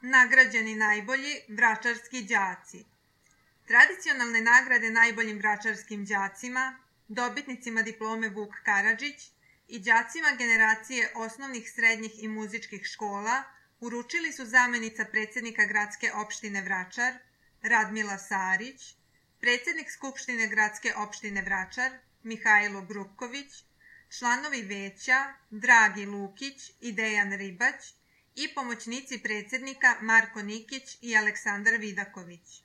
Nagrađeni najbolji vračarski đaci. Tradicionalne nagrade najboljim vračarskim đacima, dobitnicima diplome Vuk Karadžić i đacima generacije osnovnih, srednjih i muzičkih škola uručili su zamenica predsjednika gradske opštine Vračar, Radmila Sarić, predsjednik Skupštine gradske opštine Vračar, Mihajlo Grubković, članovi veća Dragi Lukić i Dejan Ribać i pomoćnici predsjednika Marko Nikić i Aleksandar Vidaković.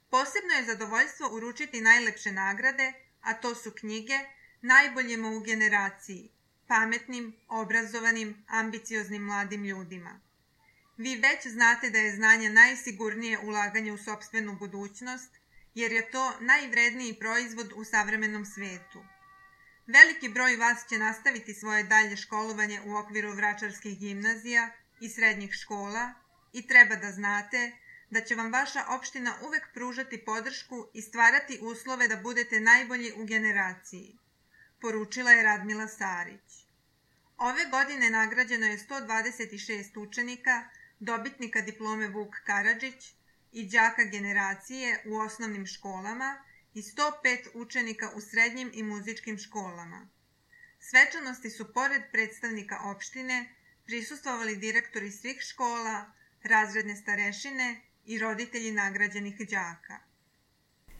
Posebno je zadovoljstvo uručiti najlepše nagrade, a to su knjige najboljima u generaciji, pametnim, obrazovanim, ambicioznim mladim ljudima. Vi već znate da je znanje najsigurnije ulaganje u sopstvenu budućnost, jer je to najvredniji proizvod u savremenom svetu. Veliki broj vas će nastaviti svoje dalje školovanje u okviru vračarskih gimnazija i srednjih škola i treba da znate da će vam vaša opština uvek pružati podršku i stvarati uslove da budete najbolji u generaciji, poručila je Radmila Sarić. Ove godine nagrađeno je 126 učenika, dobitnika diplome Vuk Karadžić i đaka generacije u osnovnim školama i 105 učenika u srednjim i muzičkim školama. Svečanosti su pored predstavnika opštine prisustvovali direktori svih škola, razredne starešine i roditelji nagrađenih đaka.